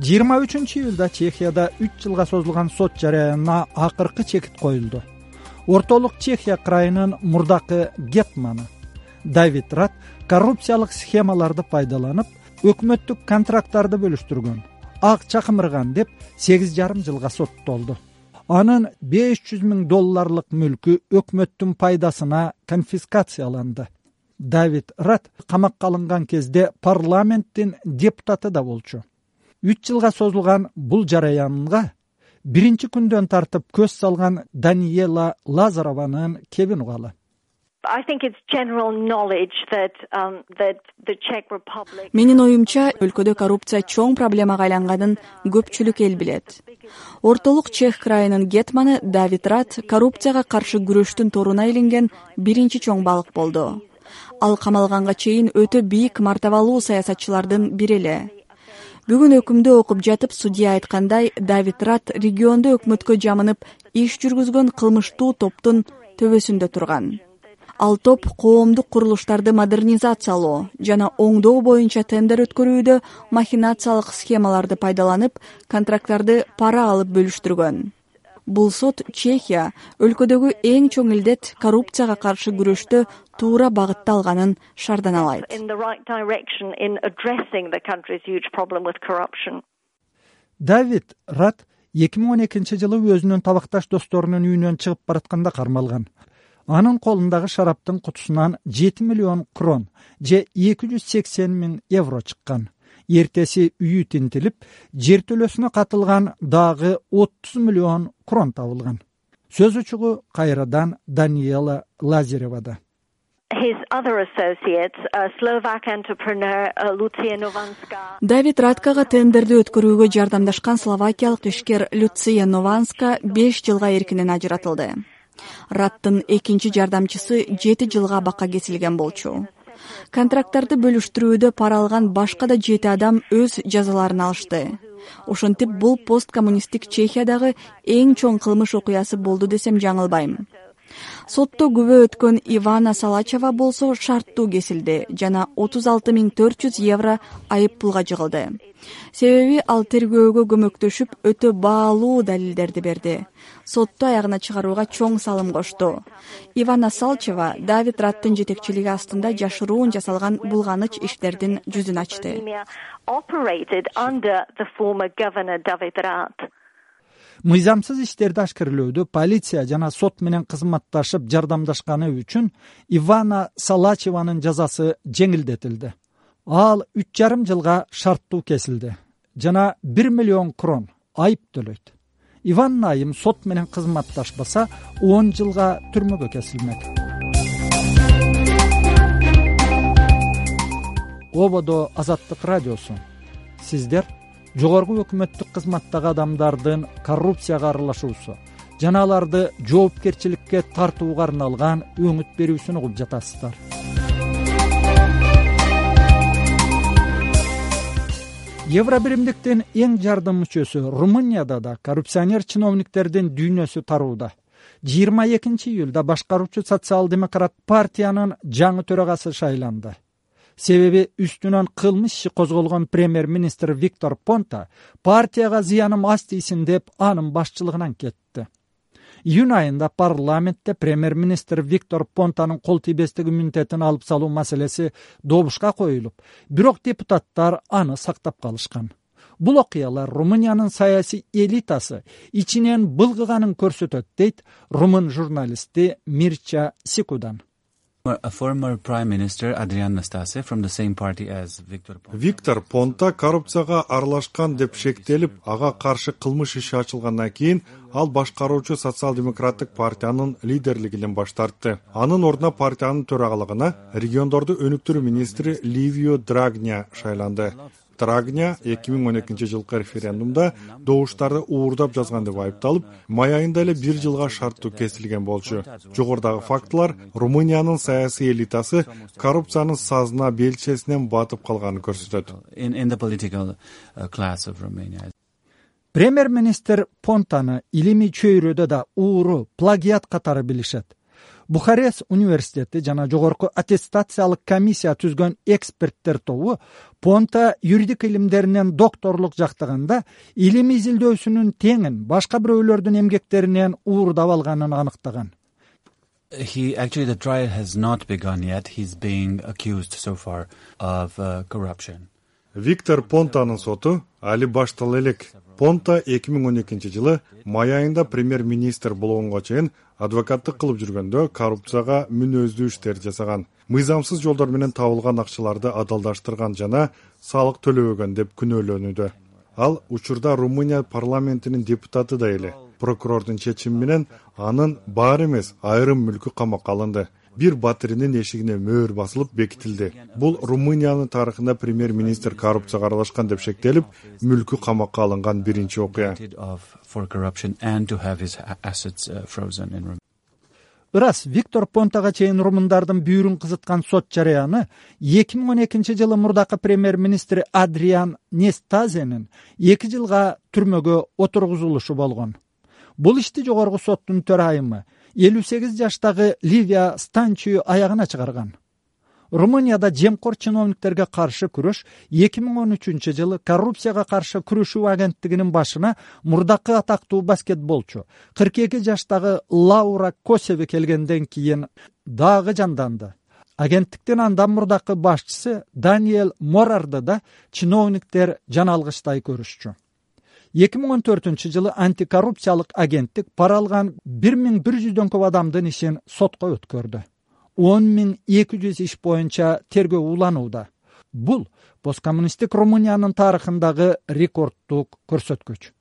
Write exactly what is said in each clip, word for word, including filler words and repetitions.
жыйырма үчүнчү июлда Чехияда үч жылга созулган сот жараянына акыркы чекит коюлду. Ортолук Чехия крайынын мурдакы гетманы Давид Рат коррупциялык схемаларды пайдаланып, өкмөттүк контракттарды бөлүштүргөн, акча кымырган деп сегиз жарым жылга соттолду. Анын беш жүз миң долларлык мүлкү өкмөттүн пайдасына конфискацияланды. Давид Рат камакка алынган кезде парламенттин депутаты да болчу. үч жылга созулган бул жараянга биринчи күндөн тартып көз салган Даниела Лазарованын кебин угалы. Менин оюмча, өлкөдө коррупция чоң проблемага айланганын көпчүлүк эл билет. Ортолук Чех крайынын гетманы Давид Рат коррупцияга каршы күрөштүн торуна илинген биринчи чоң балык болду. Ал камалганга чейин өтө бийик мартабалуу саясатчылардын бири эле. Бүгүн өкүмдү окуп жатып, судья айткандай, Давид Рат региондо өкмөткө жамынып иш жүргүзгөн кылмыштуу топтун төбөсүндө турган. Ал топ коомдук курулуштарды модернизациялоо жана оңдоо боюнча тендер өткөрүүдө махинациялык схемаларды пайдаланып, контракттарды пара алып бөлүштүргөн. Бул сот Чехия өлкөдөгү эң чоң илдет коррупцияга каршы күрөштө туура багытта алганын шарданалайт. Давид Рат эки миң он экинчи жылы өзүнүн табакташ досторунун үйүнөн чыгып баратканда кармалган. Анын колундагы шараптын кутусунан жети миллион крон же эки жүз сексен миң евро чыккан. Эртеси үйү тинтилип, жертөлөсүнө катылган дагы отуз миллион крон табылган. Сөз учугу кайрадан Даниела Лазаревада. Давид Раткага тендерди өткөрүүгө жардамдашкан словакиялык ишкер Люция Нованска беш жылга эркинен ажыратылды. Раттын экинчи жардамчысы жети жылга абакка кесилген болчу. Контракттарды бөлүштүрүүдө пара алган башка да жети адам өз жазаларын алышты. Ошентип, бул посткоммунисттик Чехиядагы эң чоң кылмыш окуясы болду десем жаңылбайм. Сотто күбө өткөн Ивана Салачева болсо шарттуу кесилди жана отуз алты миң төрт жүз евро айып пулга жыгылды. Себеби ал тергөөгө көмөктөшүп, өтө баалуу далилдерди берди. Сотту аягына чыгарууга чоң салым кошту. Ивана Салачева Давид Раттын жетекчилиги астында жашыруун жасалган булганыч иштердин жүзүн ачты. Мыйзамсыз иштерди ашкерлөөдө полиция жана сот менен кызматташып жардамдашканы үчүн Ивана Салачеванын жазасы жеңилдетилди. Ал үч жарым жылга шарттуу кесилди жана бир миллион крон айып төлөйт. Иван айым сот менен кызматташпаса он жылга түрмөгө кесилмек. Ободо Азаттык радиосу. Сиздер жогорку өкмөттүк кызматтагы адамдардын коррупцияга аралашуусу жана аларды жоопкерчиликке тартууга арналган өңүт берүүсүн угуп жатасыздар. Евробиримдиктин эң жардам мүчөсү Румынияда да коррупционер чиновниктердин дүйнөсү тарууда. жыйырма экинчи июлда башкаруучу социал-демократ партиянын жаңы төрагасы шайланды. Себеби үстүнөн кылмыш иши козголгон премьер-министр Виктор Понта партияга зыяным аз тийсин деп анын башчылыгынан кетти. Июнь айында парламентте премьер-министр Виктор Понтанын кол тийбестик иммунитетин алып салуу маселеси добушка коюлуп, бирок депутаттар аны сактап калышкан. Бул окуялар Румыниянын саясий элитасы ичинен былгыганын көрсөтөт, дейт румын журналисти Мирча Сикудан. Виктор Понта коррупцияга аралашкан деп шектелип, ага каршы кылмыш иши ачылгандан кийин ал башкаруучу социал-демократтык партиянын лидерлигинен баш тартты. Анын ордуна партиянын төрагалыгына региондорду өнүктүрүү министри Ливио Драгня шайланды. Драгня эки миң он экинчи жылкы референдумда добуштарды уурдап жазган деп айыпталып, май айында эле бир жылга шарттуу кесилген болчу. Жогорудагы фактылар Румыниянын саясий элитасы коррупциянын сазына белчесинен батып калганын көрсөтөт. Премьер-министр Понтаны илимий чөйрөдө да ууру, плагиат катары билишет. Бухарест университети жана жогорку аттестациялык комиссия түзгөн эксперттер тобу Понта юридик илимдеринен докторлук жактаганда илим изилдөөсүнүн теңин башка бирөөлөрдүн эмгектеринен уурдап алганын аныктаган. He actually the trial has not begun yet. He's being accused so far of uh, corruption. Виктор Понтанын соту али баштала элек. Понта эки миң он экинчи жылы май айында премьер-министр болгонго чейин адвокаттык кылып жүргөндө коррупцияга мүнөздүү иштер жасаган, мыйзамсыз жолдор менен табылган акчаларды адалдаштырган жана салык төлөбөгөн деп күнөөлөнүүдө. Ал учурда Румыния парламентинин депутаты да эле. Прокурордун чечими менен анын баары эмес, айрым мүлкү камакка алынды. Бир батиринин эшигине мөөр басылып бекитилди. Бул Румыниянын тарыхында премьер-министр коррупцияга аралашкан деп шектелип, мүлкү камакка алынган биринчи окуя. Ырас Виктор Понтага чейин румундардын бүйүрүн кызыткан сот жарыяны эки миң он экинчи жылы мурдакы премьер-министр Адриан Нестазенин эки жылга түрмөгө отургузулушу болгон. Бул ишти жогорку соттун төрайымы элүү сегиз жаштагы Ливия Станчию аягына чыгарган. Румынияда жемкор чиновниктерге каршы күрөш эки миң он үчүнчү жылы коррупцияга каршы күрөшүү агенттигинин башына мурдакы атактуу баскетболчу кырк эки жаштагы Лаура Косеви келгенден кийин дагы жанданды. Агенттиктин андан мурдакы башчысы Даниэль Морарды да чиновниктер жаналгычтай көрүшчү. эки миң он төртүнчү жылы антикоррупциялык агенттик пара алган бир миң бир жүздөн көп адамдын ишин сотко өткөрдү. он миң эки жүз иш боюнча тергөө уланууда. Бул посткоммунисттик Румыниянын тарыхындагы рекорддук көрсөткүч.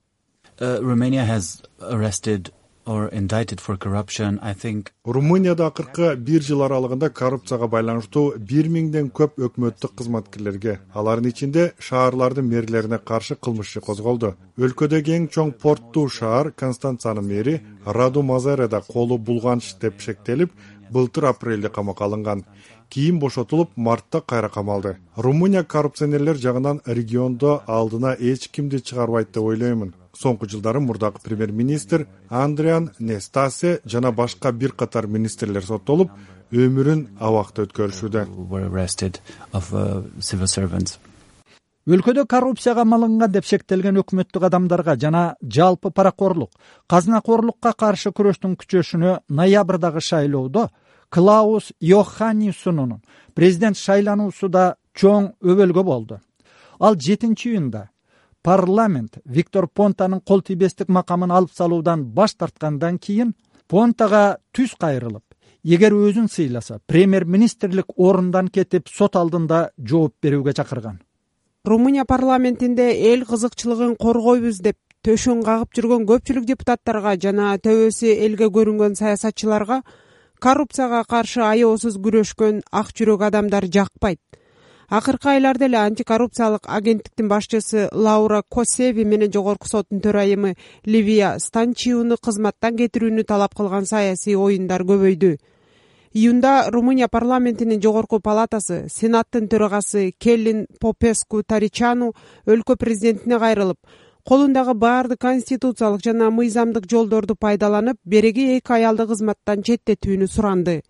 Uh, Romania has arrested or indicted for corruption, I think. Румынияда акыркы бир жыл аралыгында коррупцияга байланыштуу бир миңден көп өкмөттүк кызматкерлерге, алардын ичинде шаарлардын мэрлерине каршы кылмыш иши козголду. Өлкөдөгү эң чоң порттуу шаар Констанцанын мэри Раду Мазареда колу булганч деп шектелип, былтыр апрелде камакка алынган. Кийин бошотулуп, мартта кайра камалды. Румыния коррупционерлер жагынан региондо алдына эч кимди чыгарбайт деп ойлоймун. Соңку жылдары мурдакы премьер-министр Андриан Нестасе жана башка бир катар министрлер соттолуп, өмүрүн абакта өткөрүшүүдө. Өлкөдө коррупцияга малынган деп шектелген өкмөттүк адамдарга жана жалпы паракорлук, казынакорлукка каршы күрөштүн күчөшүнө ноябрдагы шайлоодо Клаус Йоханнессонун президент шайлануусу да чоң өбөлгө болду. Ал жетинчи июнда парламент Виктор Понтанын кол тийбестик макамын алып салуудан баш тарткандан кийин Понтага түз кайрылып, эгер өзүн сыйласа, премьер-министрлик орундан кетип сот алдында жооп берүүгө чакырган. Румыния парламентинде эл кызыкчылыгын коргойбуз деп төшөн кагып жүргөн көпчүлүк депутаттарга жана төбөсү элге көрүнгөн саясатчыларга коррупцияга каршы аеосуз күрөшкөн ак жүрөк адамдар жакпайт. Акыркы айларда эле антикоррупциялык агенттиктин башчысы Лаура Косеви менен жогорку соттун төрайымы Ливия Станчиуну кызматтан кетирүүнү талап кылган саясий оюндар көбөйдү. Июнда Румыния парламентинин жогорку палатасы Сенаттын төрагасы Келлин Попеску Таричану өлкө президентине кайрылып, колундагы баардык конституциялык жана мыйзамдык жолдорду пайдаланып, береги эки аялды кызматтан четтетүүнү суранды.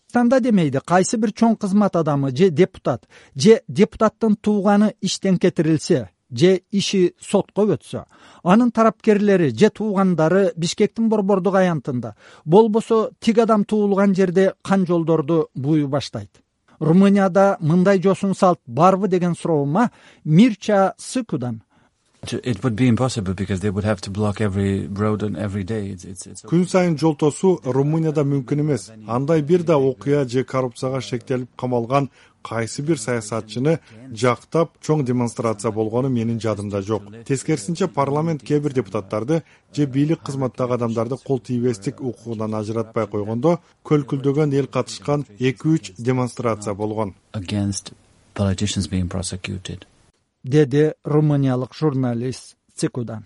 Станда демейди, кайсы бир чоң кызмат адамы же депутат, же депутаттын тууганы иштен кетирилсе, же иши сотко өтсө, анын тарапкерлери же туугандары Бишкектин борбордук аянтында, болбосо тиг адам туулган жерде кан жолдорду бууй баштайт. Румынияда мындай жосун салт барбы деген суроома Мирча Сыкудан It would be impossible because they would have to block every road and every day. It's, it's, it's... Күн сайын жол тосуу Румынияда мүмкүн эмес. Андай бир да окуя же коррупцияга шектелип камалган кайсы бир саясатчыны жактап чоң демонстрация болгону менин жадымда жок. Тескерисинче парламент кээ бир депутаттарды же бийлик кызматтагы адамдарды кол тийбестик укугунан ажыратпай койгондо көлкүлдөгөн эл катышкан эки үч демонстрация болгон. Against politicians being prosecuted. Деди румыниялык журналист Цикудан.